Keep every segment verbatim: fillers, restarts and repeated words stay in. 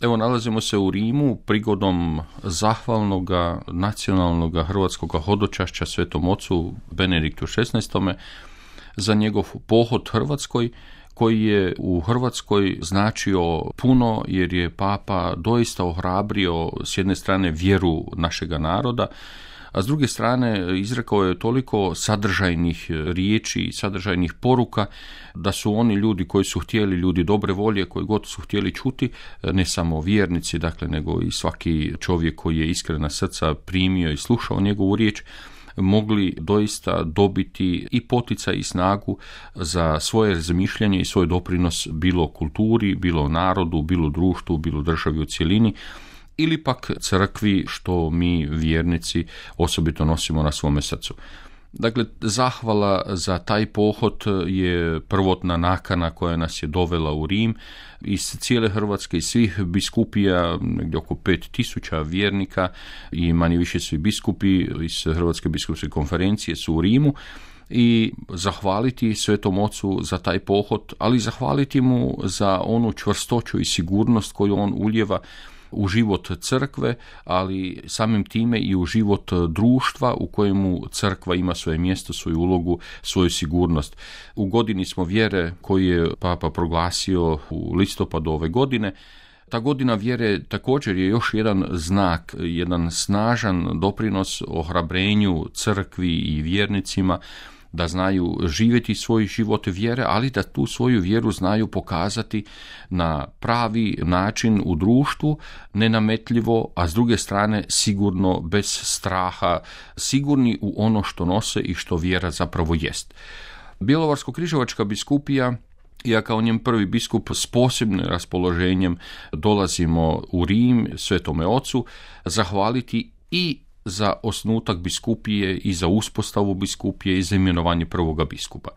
Evo, nalazimo se u Rimu prigodom zahvalnog nacionalnog hrvatskog hodočašća Svetom ocu Benediktu šesnaestom za njegov pohod Hrvatskoj, koji je u Hrvatskoj značio puno, jer je Papa doista ohrabrio s jedne strane vjeru našega naroda, a s druge strane izrekao je toliko sadržajnih riječi i sadržajnih poruka da su oni ljudi koji su htjeli, ljudi dobre volje, koji god su htjeli čuti, ne samo vjernici, dakle, nego i svaki čovjek koji je iskrena srca primio i slušao njegovu riječ, mogli doista dobiti i poticaj i snagu za svoje razmišljanje i svoj doprinos bilo kulturi, bilo narodu, bilo društvu, bilo državi u cjelini, ili pak crkvi, što mi vjernici osobito nosimo na svome srcu. Dakle, zahvala za taj pohod je prvotna nakana koja nas je dovela u Rim. Iz cijele Hrvatske, iz svih biskupija, negdje oko pet tisuća vjernika i manje više svi biskupi iz Hrvatske biskupske konferencije su u Rimu, i zahvaliti Svetom ocu za taj pohod, ali zahvaliti mu za onu čvrstoću i sigurnost koju on ulijeva u život crkve, ali samim time i u život društva u kojemu crkva ima svoje mjesto, svoju ulogu, svoju sigurnost. U godini smo vjere koju je Papa proglasio u listopadu ove godine. Ta godina vjere također je još jedan znak, jedan snažan doprinos ohrabrenju crkvi i vjernicima da znaju živjeti svoj život vjere, ali da tu svoju vjeru znaju pokazati na pravi način u društvu, nenametljivo, a s druge strane sigurno, bez straha, sigurni u ono što nose i što vjera zapravo jest. Bjelovarsko-križevačka biskupija, ja kao njen prvi biskup s posebnim raspoloženjem dolazimo u Rim Svetome ocu zahvaliti i za osnutak biskupije i za uspostavu biskupije i za imenovanje prvoga biskupa.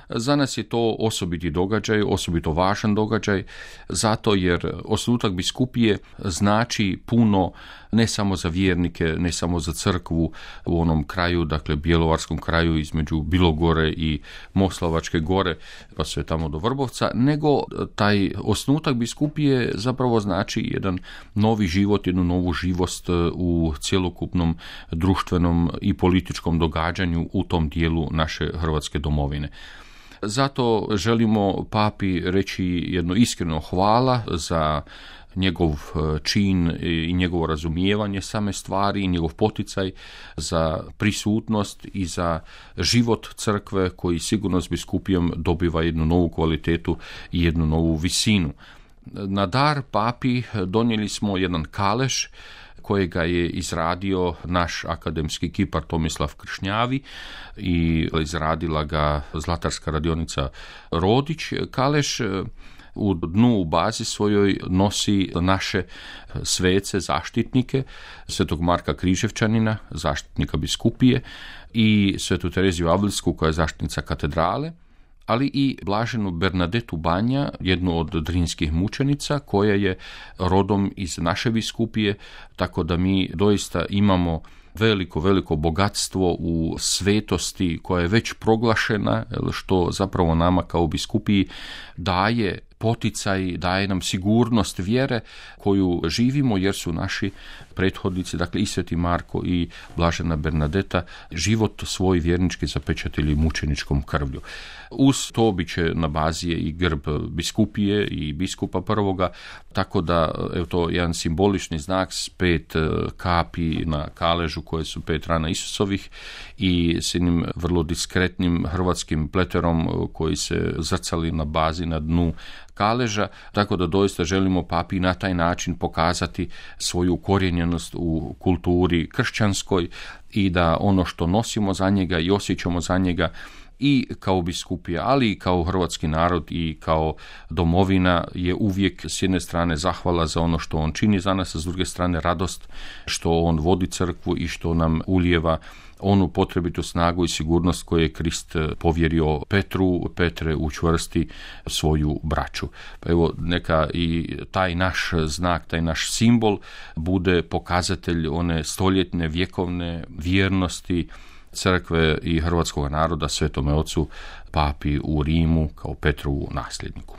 Za nas je to osobiti događaj, osobito važan događaj, zato jer osnutak biskupije znači puno ne samo za vjernike, ne samo za crkvu u onom kraju, dakle bjelovarskom kraju između Bilogore i Moslavačke gore, pa sve tamo do Vrbovca, nego taj osnutak biskupije zapravo znači jedan novi život, jednu novu živost u cjelokupnom društvenom i političkom događanju u tom dijelu naše Hrvatske domovine. Zato želimo Papi reći jedno iskreno hvala za njegov čin i njegovo razumijevanje same stvari i njegov poticaj za prisutnost i za život crkve koji sigurno s biskupijom dobiva jednu novu kvalitetu i jednu novu visinu. Na dar Papi donijeli smo jedan kaleš kojega je izradio naš akademski kipar Tomislav Kršnjavi i izradila ga Zlatarska radionica Rodić. Kaleš u dnu, u bazi svojoj nosi naše svece, zaštitnike, Svetog Marka Križevčanina, zaštitnika biskupije, i Svetu Tereziju Avlsku koja je zaštitnica katedrale, ali i blaženu Bernadetu Banja, jednu od drinskih mučenica koja je rodom iz naše biskupije, tako da mi doista imamo veliko, veliko bogatstvo u svetosti koja je već proglašena, što zapravo nama kao biskupiji daje poticaj, daje nam sigurnost vjere koju živimo, jer su naši prethodnici, dakle i Sveti Marko i blažena Bernadeta, život svoj vjernički zapečatili mučeničkom krvlju. Uz to bit će na bazi i grb biskupije i biskupa prvoga, tako da je to jedan simbolični znak s pet kapi na kaležu koje su pet rana Isusovih i s jednim vrlo diskretnim hrvatskim pleterom koji se zrcali na bazi na dnu kaleža, tako da doista želimo Papi na taj način pokazati svoju ukorijenjenost u kulturi kršćanskoj i da ono što nosimo za njega i osjećamo za njega i kao biskupija, ali i kao hrvatski narod i kao domovina je uvijek s jedne strane zahvala za ono što on čini za nas, a s druge strane radost što on vodi crkvu i što nam ulijeva onu potrebitu snagu i sigurnost koju je Krist povjerio Petru. Petre, učvrsti svoju braću. Pa evo, neka i taj naš znak, taj naš simbol bude pokazatelj one stoljetne, vjekovne vjernosti crkve i hrvatskog naroda Svetome Ocu Papi u Rimu kao Petrovu nasljedniku.